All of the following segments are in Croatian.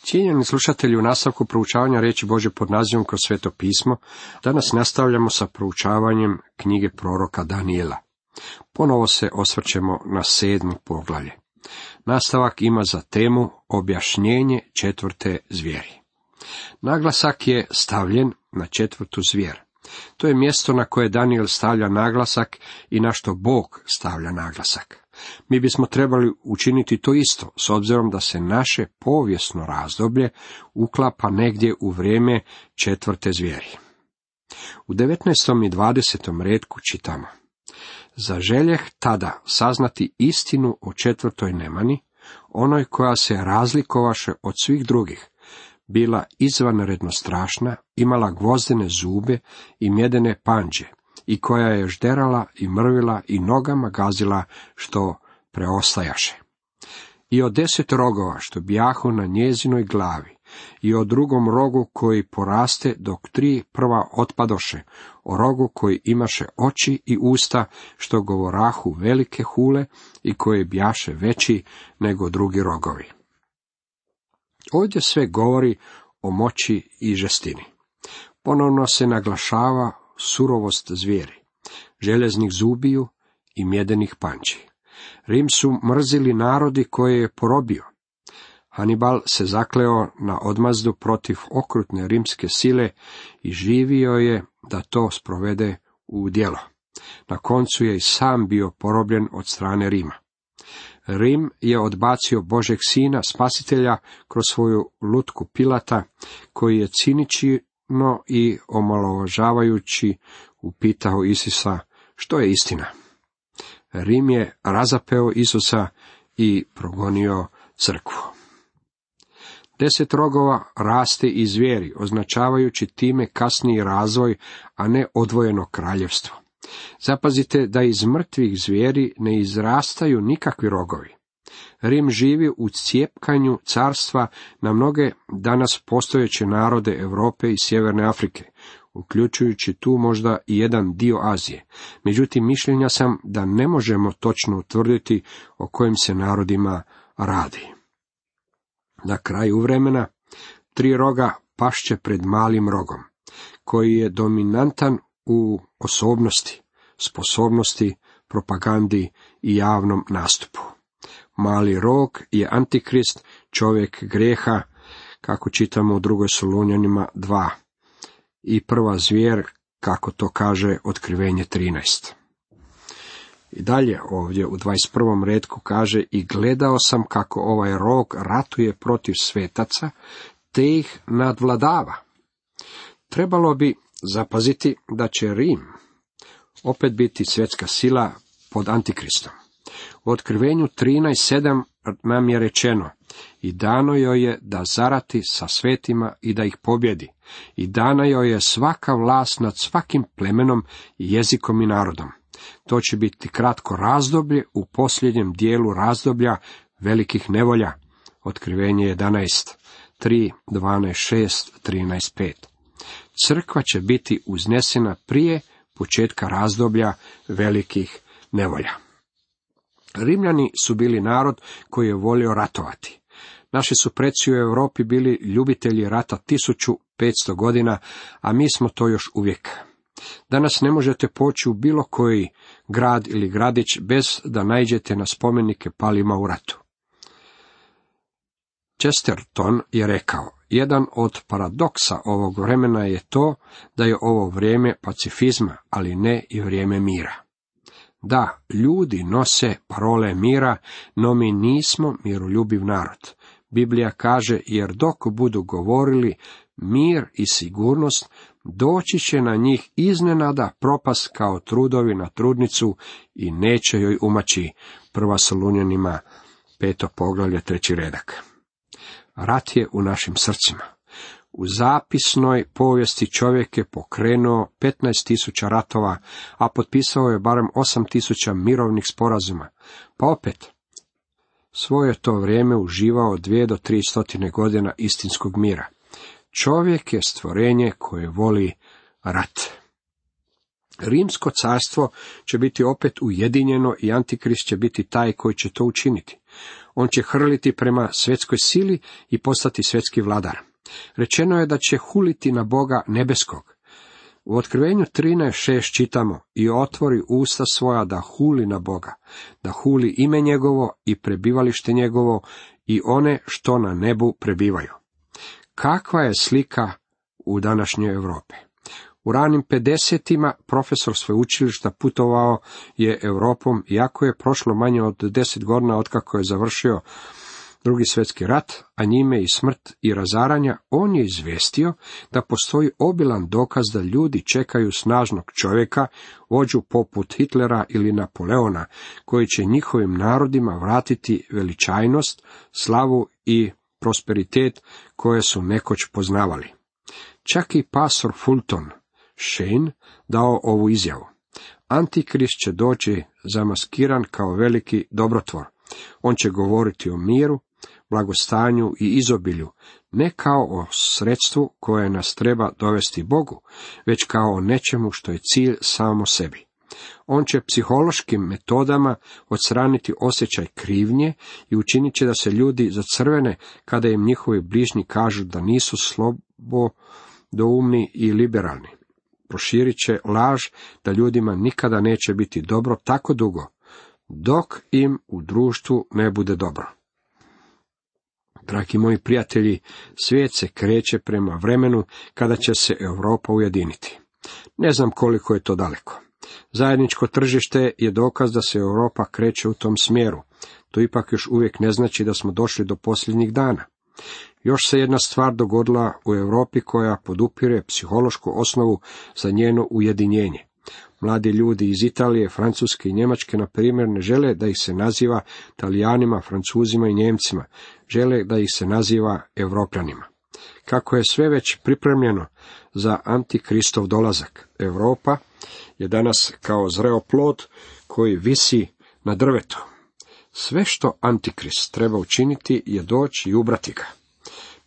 Cijenjeni slušatelji, u nastavku proučavanja riječi Božje pod nazivom Kroz sveto pismo, danas nastavljamo sa proučavanjem knjige proroka Danijela. Ponovo se osvrćemo na 7. poglavlje. Nastavak ima za temu objašnjenje 4. zvijeri. Naglasak je stavljen na 4. zvijer. To je mjesto na koje Danijel stavlja naglasak i na što Bog stavlja naglasak. Mi bismo trebali učiniti to isto, s obzirom da se naše povijesno razdoblje uklapa negdje u vrijeme 4. zvijeri. U 19. i 20. retku čitamo: Zaželjeh tada saznati istinu o 4. nemani, onoj koja se razlikovaše od svih drugih, bila izvanredno strašna, imala gvozdene zube i mjedene panđe, i koja je žderala i mrvila i nogama gazila što preostajaše. I od 10 rogova što bijahu na njezinoj glavi, i o drugom rogu koji poraste dok 3 prva otpadoše, o rogu koji imaše oči i usta što govorahu velike hule i koji bijaše veći nego drugi rogovi. Ovdje sve govori o moći i žestini. Ponovno se naglašava surovost zvijeri, željeznih zubiju i mjedenih panči. Rim su mrzili narodi koje je porobio. Hanibal se zakleo na odmazdu protiv okrutne rimske sile i živio je da to sprovede u djelo. Na koncu je i sam bio porobljen od strane Rima. Rim je odbacio Božeg sina, spasitelja, kroz svoju lutku Pilata, koji je cinično i omalovažavajući upitao Isusa što je istina. Rim je razapeo Isusa i progonio crkvu. 10 rogova raste iz zvijeri, označavajući time kasniji razvoj, a ne odvojeno kraljevstvo. Zapazite da iz mrtvih zvijeri ne izrastaju nikakvi rogovi. Rim živi u cijepkanju carstva na mnoge danas postojeće narode Europe i Sjeverne Afrike, uključujući tu možda i jedan dio Azije. Međutim, mišljenja sam da ne možemo točno utvrditi o kojim se narodima radi. Na kraju vremena 3 roga pašće pred malim rogom, koji je dominantan u osobnosti, sposobnosti, propagandi i javnom nastupu. Mali rog je antikrist, čovjek grijeha, kako čitamo u 2. Solunjanima 2, i prva zvijer, kako to kaže Otkrivenje 13. I dalje ovdje u 21. retku kaže: I gledao sam kako ovaj rog ratuje protiv svetaca, te ih nadvladava. Trebalo bi zapaziti da će Rim opet biti svjetska sila pod antikristom. U Otkrivenju 13.7 nam je rečeno: I dano joj je da zarati sa svetima i da ih pobjedi. I dana joj je svaka vlast nad svakim plemenom, jezikom i narodom. To će biti kratko razdoblje u posljednjem dijelu razdoblja velikih nevolja. Otkrivenje 11, 3, 12, 6, 13, 5. Crkva će biti uznesena prije početka razdoblja velikih nevolja. Rimljani su bili narod koji je volio ratovati. Naši su preci u Europi bili ljubitelji rata 1500 godina, a mi smo to još uvijek. Danas ne možete poći u bilo koji grad ili gradić bez da naiđete na spomenike palima u ratu. Chesterton je rekao: jedan od paradoksa ovog vremena je to da je ovo vrijeme pacifizma, ali ne i vrijeme mira. Da, ljudi nose parole mira, no mi nismo miroljubiv narod. Biblija kaže: jer dok budu govorili mir i sigurnost, doći će na njih iznenada propast kao trudovi na trudnicu i neće joj umaći. 1. Solunjanima 5. poglavlje 3. redak. Rat je u našim srcima. U zapisnoj povijesti čovjek je pokrenuo 15.000 ratova, a potpisao je barem 8.000 mirovnih sporazuma. Pa opet, svoje to vrijeme uživao 2 do 300 godina istinskog mira. Čovjek je stvorenje koje voli rat. Rimsko carstvo će biti opet ujedinjeno i Antikrist će biti taj koji će to učiniti. On će hrliti prema svjetskoj sili i postati svjetski vladar. Rečeno je da će huliti na Boga nebeskog. U Otkrivenju 13:6 čitamo: i otvori usta svoja da huli na Boga, da huli ime njegovo i prebivalište njegovo i one što na nebu prebivaju. Kakva je slika u današnjoj Europi? U ranim 50-ima profesor sveučilišta putovao je Europom, iako je prošlo manje od 10 godina otkako je završio Drugi svjetski rat, a njime i smrt i razaranja, on je izvijestio da postoji obilan dokaz da ljudi čekaju snažnog čovjeka, vođu poput Hitlera ili Napoleona, koji će njihovim narodima vratiti veličajnost, slavu i prosperitet koje su nekoć poznavali. Čak i pastor Fulton Sheen dao ovu izjavu: Antikrist će doći zamaskiran kao veliki dobrotvor. On će govoriti o miru, blagostanju i izobilju, ne kao o sredstvu koje nas treba dovesti Bogu, već kao o nečemu što je cilj samo sebi. On će psihološkim metodama odstraniti osjećaj krivnje i učinit će da se ljudi zacrvene kada im njihovi bližnji kažu da nisu slobodoumni i liberalni. Proširit će laž da ljudima nikada neće biti dobro tako dugo, dok im u društvu ne bude dobro. Dragi moji prijatelji, svijet se kreće prema vremenu kada će se Europa ujediniti. Ne znam koliko je to daleko. Zajedničko tržište je dokaz da se Europa kreće u tom smjeru. To ipak još uvijek ne znači da smo došli do posljednjih dana. Još se jedna stvar dogodila u Europi koja podupire psihološku osnovu za njeno ujedinjenje. Mladi ljudi iz Italije, Francuske i Njemačke, na primjer, ne žele da ih se naziva Talijanima, Francuzima i Njemcima, žele da ih se naziva Europljanima. Kako je sve već pripremljeno za Antikristov dolazak, Europa je danas kao zreo plod koji visi na drvetu. Sve što Antikrist treba učiniti je doći i ubrati ga.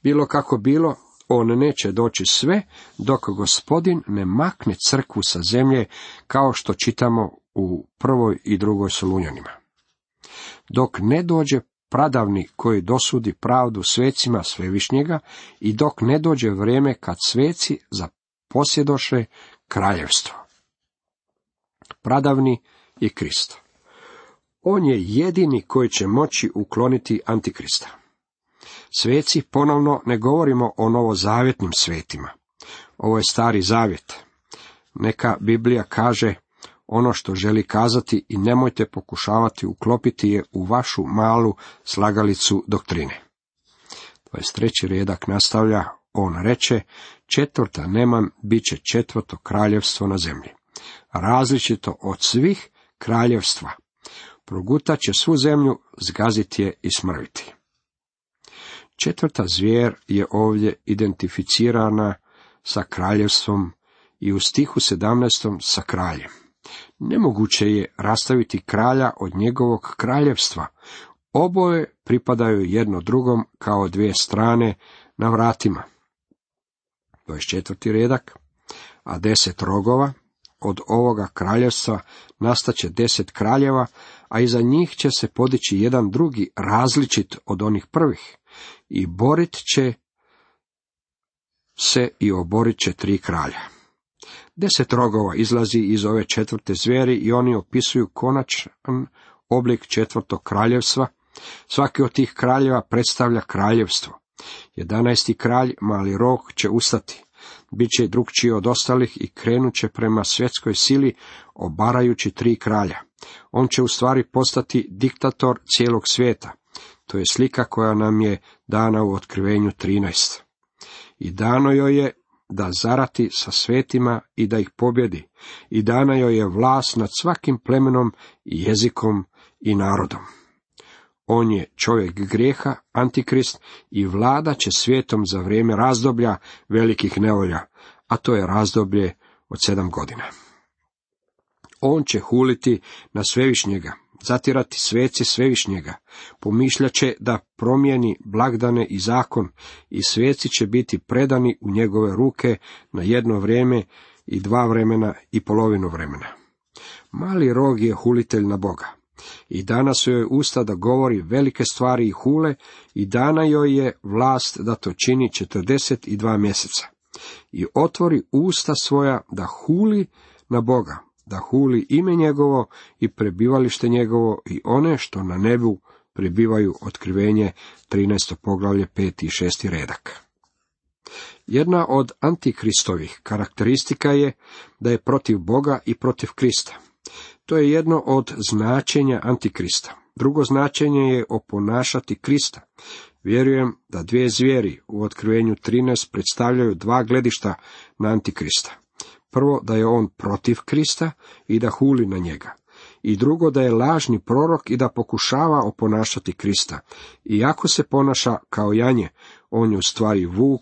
Bilo kako bilo, on neće doći sve dok Gospodin ne makne crkvu sa zemlje, kao što čitamo u 1. i 2. Solunjanima. Dok ne dođe pradavni koji dosudi pravdu svecima Svevišnjega i dok ne dođe vrijeme kad sveci zaposjedoše kraljevstvo. Pradavni je Krist. On je jedini koji će moći ukloniti Antikrista. Sveci, ponovno ne govorimo o novozavjetnim svetima. Ovo je Stari zavjet. Neka Biblija kaže ono što želi kazati i nemojte pokušavati uklopiti je u vašu malu slagalicu doktrine. 23. redak nastavlja, on reče: 4. neman bit će 4. kraljevstvo na zemlji, različito od svih kraljevstva. Progutat će svu zemlju, zgazit je i smrviti. 4. zvijer je ovdje identificirana sa kraljevstvom i u stihu 17. sa kraljem. Nemoguće je rastaviti kralja od njegovog kraljevstva. Oboje pripadaju jedno drugom kao dvije strane na vratima. 24. redak. A 10 rogova od ovoga kraljevstva nastaće 10 kraljeva, a iza njih će se podići jedan drugi različit od onih prvih. I borit će se i oborit će 3 kralja. 10 rogova izlazi iz ove 4. zvijeri i oni opisuju konačan oblik 4. kraljevstva. Svaki od tih kraljeva predstavlja kraljevstvo. 11. kralj, mali rog, će ustati. Biće drukčiji od ostalih i krenut će prema svjetskoj sili, obarajući 3 kralja. On će u stvari postati diktator cijelog svijeta. To je slika koja nam je dana u Otkrivenju 13. I dano joj je da zarati sa svetima i da ih pobjedi. I dana joj je vlast nad svakim plemenom i jezikom i narodom. On je čovjek grijeha, Antikrist, i vlada će svijetom za vrijeme razdoblja velikih nevolja, a to je razdoblje od 7 godina. On će huliti na Svevišnjega, zatirati sveci Svevišnjega, pomišljat će da promijeni blagdane i zakon i sveci će biti predani u njegove ruke na jedno vrijeme i 2 vremena i polovinu vremena. Mali rog je hulitelj na Boga. I dana su joj usta da govori velike stvari i hule, i dana joj je vlast da to čini 42 mjeseca. I otvori usta svoja da huli na Boga, da huli ime njegovo i prebivalište njegovo i one što na nebu prebivaju. Otkrivenje 13. poglavlje 5. i 6. redak. Jedna od antikristovih karakteristika je da je protiv Boga i protiv Krista. To je jedno od značenja antikrista. Drugo značenje je oponašati Krista. Vjerujem da 2 zvijeri u Otkrivenju 13 predstavljaju 2 gledišta na antikrista. Prvo, da je on protiv Krista i da huli na njega. I drugo, da je lažni prorok i da pokušava oponašati Krista. Iako se ponaša kao janje, on je u stvari vuk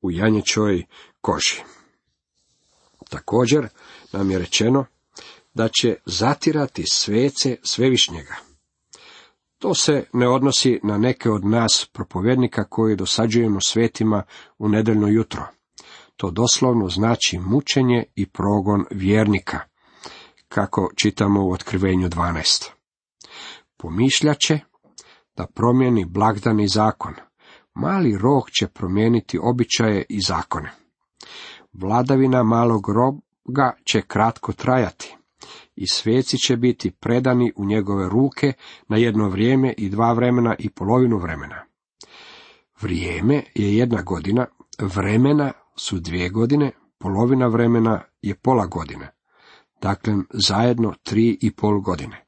u janječoj koži. Također nam je rečeno da će zatirati svece Svevišnjega. To se ne odnosi na neke od nas propovjednika koji dosađujemo svetima u nedjeljno jutro. To doslovno znači mučenje i progon vjernika, kako čitamo u Otkrivenju 12. Pomišljaće da promijeni blagdan i zakon. Mali rog će promijeniti običaje i zakone. Vladavina malog roga će kratko trajati. I sveci će biti predani u njegove ruke na jedno vrijeme i 2 vremena i polovinu vremena. Vrijeme je 1 godina, vremena su 2 godine, polovina vremena je pola godine. Dakle, zajedno 3,5 godine.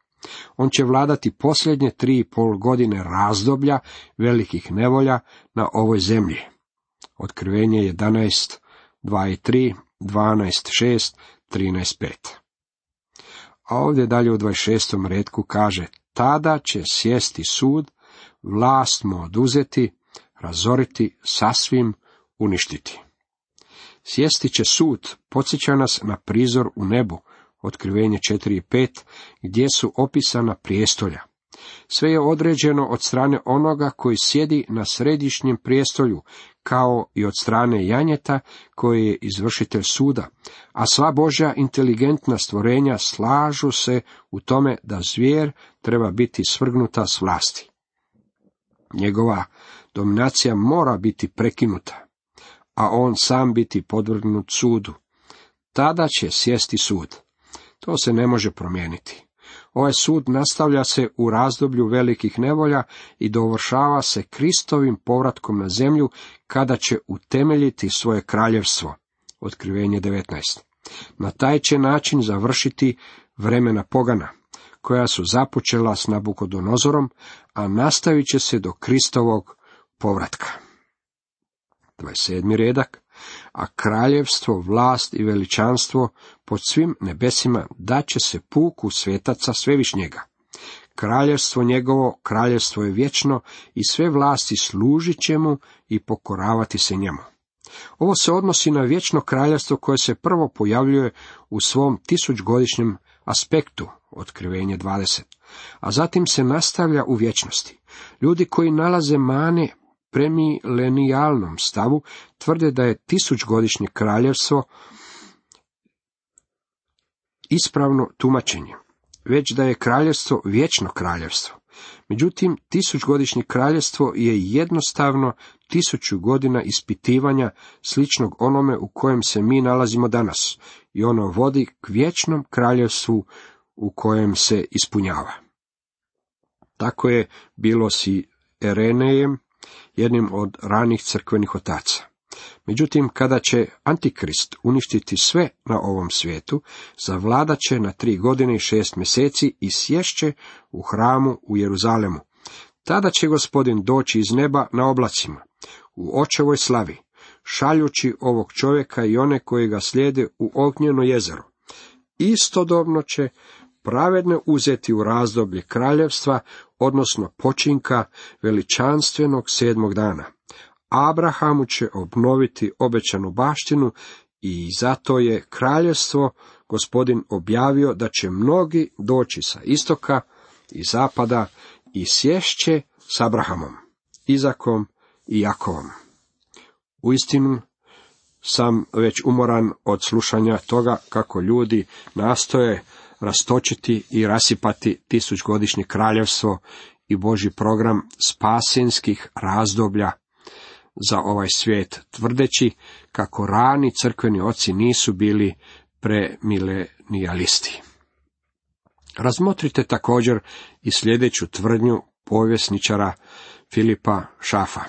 On će vladati posljednje 3,5 godine razdoblja velikih nevolja na ovoj zemlji. Otkrivenje 11, 2 i 3, 12, 6, 13, 5. A ovdje dalje u 26. retku kaže, tada će sjesti sud, vlast mu oduzeti, razoriti, sasvim uništiti. Sjesti će sud, podsjeća nas na prizor u nebu, Otkrivenje 4 i 5, gdje su opisana prijestolja. Sve je određeno od strane onoga koji sjedi na središnjem prijestolju, kao i od strane janjeta koji je izvršitelj suda, a sva Božja inteligentna stvorenja slažu se u tome da zvijer treba biti svrgnuta s vlasti. Njegova dominacija mora biti prekinuta, a on sam biti podvrgnut sudu. Tada će sjesti sud. To se ne može promijeniti. Ovaj sud nastavlja se u razdoblju velikih nevolja i dovršava se Kristovim povratkom na zemlju, kada će utemeljiti svoje kraljevstvo. Otkrivenje 19. Na taj će način završiti vremena pogana, koja su započela s Nabukodonozorom, a nastavit će se do Kristovog povratka. 27. redak. A kraljevstvo, vlast i veličanstvo pod svim nebesima daće se puku svetaca Svevišnjega. Kraljevstvo njegovo, kraljevstvo je vječno i sve vlasti služit će mu i pokoravati se njemu. Ovo se odnosi na vječno kraljevstvo koje se prvo pojavljuje u svom 1000-godišnjem aspektu, Otkrivenje 20, a zatim se nastavlja u vječnosti. Ljudi koji nalaze mane premilenijalnom stavu tvrde da je 1000-godišnje kraljevstvo ispravno tumačenje, već da je kraljevstvo vječno kraljevstvo. Međutim, 1000-godišnje kraljevstvo je jednostavno 1000 godina ispitivanja sličnog onome u kojem se mi nalazimo danas, i ono vodi k vječnom kraljevstvu u kojem se ispunjava. Tako je bilo s Irenejem, jednim od ranih crkvenih otaca. Međutim, kada će Antikrist uništiti sve na ovom svijetu, zavladat će na 3 godine i 6 mjeseci i sješće u hramu u Jeruzalemu. Tada će Gospodin doći iz neba na oblacima, u očevoj slavi, šaljući ovog čovjeka i one koji ga slijede u ognjeno jezero. Istodobno će pravedne uzeti u razdoblje kraljevstva, odnosno počinka veličanstvenog 7. dana. Abrahamu će obnoviti obećanu baštinu i zato je kraljevstvo Gospodin objavio da će mnogi doći sa istoka i zapada i sješće s Abrahamom, Izakom i Jakovom. Uistinu, sam već umoran od slušanja toga kako ljudi nastoje rastočiti i rasipati tisućgodišnje kraljevstvo i Božji program spasinskih razdoblja za ovaj svijet, tvrdeći kako rani crkveni oci nisu bili premilenijalisti. Razmotrite također i sljedeću tvrdnju povjesničara Filipa Schaffa.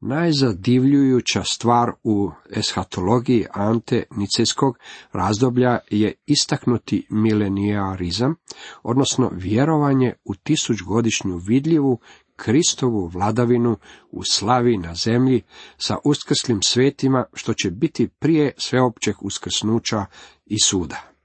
Najzadivljujuća stvar u eshatologiji ante nicejskog razdoblja je istaknuti milenijarizam, odnosno vjerovanje u tisućgodišnju vidljivu Kristovu vladavinu u slavi na zemlji sa uskrslim svetima, što će biti prije sveopćeg uskrsnuća i suda.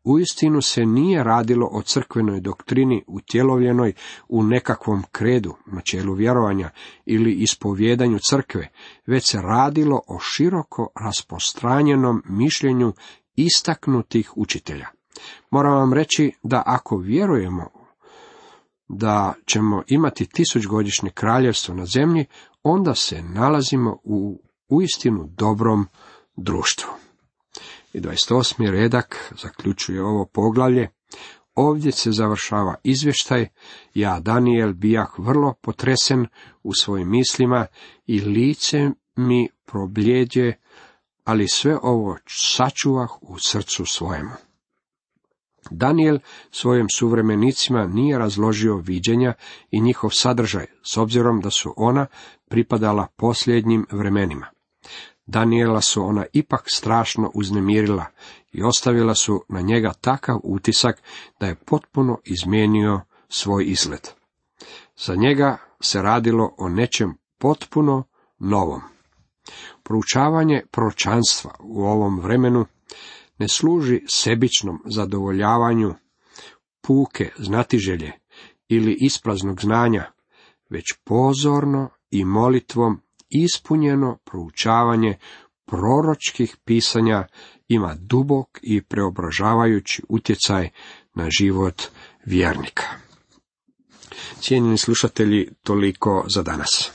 Uistinu se nije radilo o crkvenoj doktrini utjelovljenoj u nekakvom kredu, načelu vjerovanja ili ispovjedanju crkve, već se radilo o široko rasprostranjenom mišljenju istaknutih učitelja. Moram vam reći da ako vjerujemo da ćemo imati tisućgodišnje kraljevstvo na zemlji, onda se nalazimo u uistinu dobrom društvu. I 28. redak zaključuje ovo poglavlje. Ovdje se završava izvještaj. Ja, Danijel, bijah vrlo potresen u svojim mislima i lice mi probljeđe, ali sve ovo sačuvah u srcu svojemu. Danijel svojim suvremenicima nije razložio viđenja i njihov sadržaj, s obzirom da su ona pripadala posljednjim vremenima. Danijela su ona ipak strašno uznemirila i ostavila su na njega takav utisak da je potpuno izmijenio svoj izgled. Za njega se radilo o nečem potpuno novom. Proučavanje proročanstva u ovom vremenu ne služi sebičnom zadovoljavanju puke znatiželje ili ispraznog znanja, već pozorno i molitvom ispunjeno proučavanje proročkih pisanja ima dubok i preobražavajući utjecaj na život vjernika. Cijenjeni slušatelji, toliko za danas.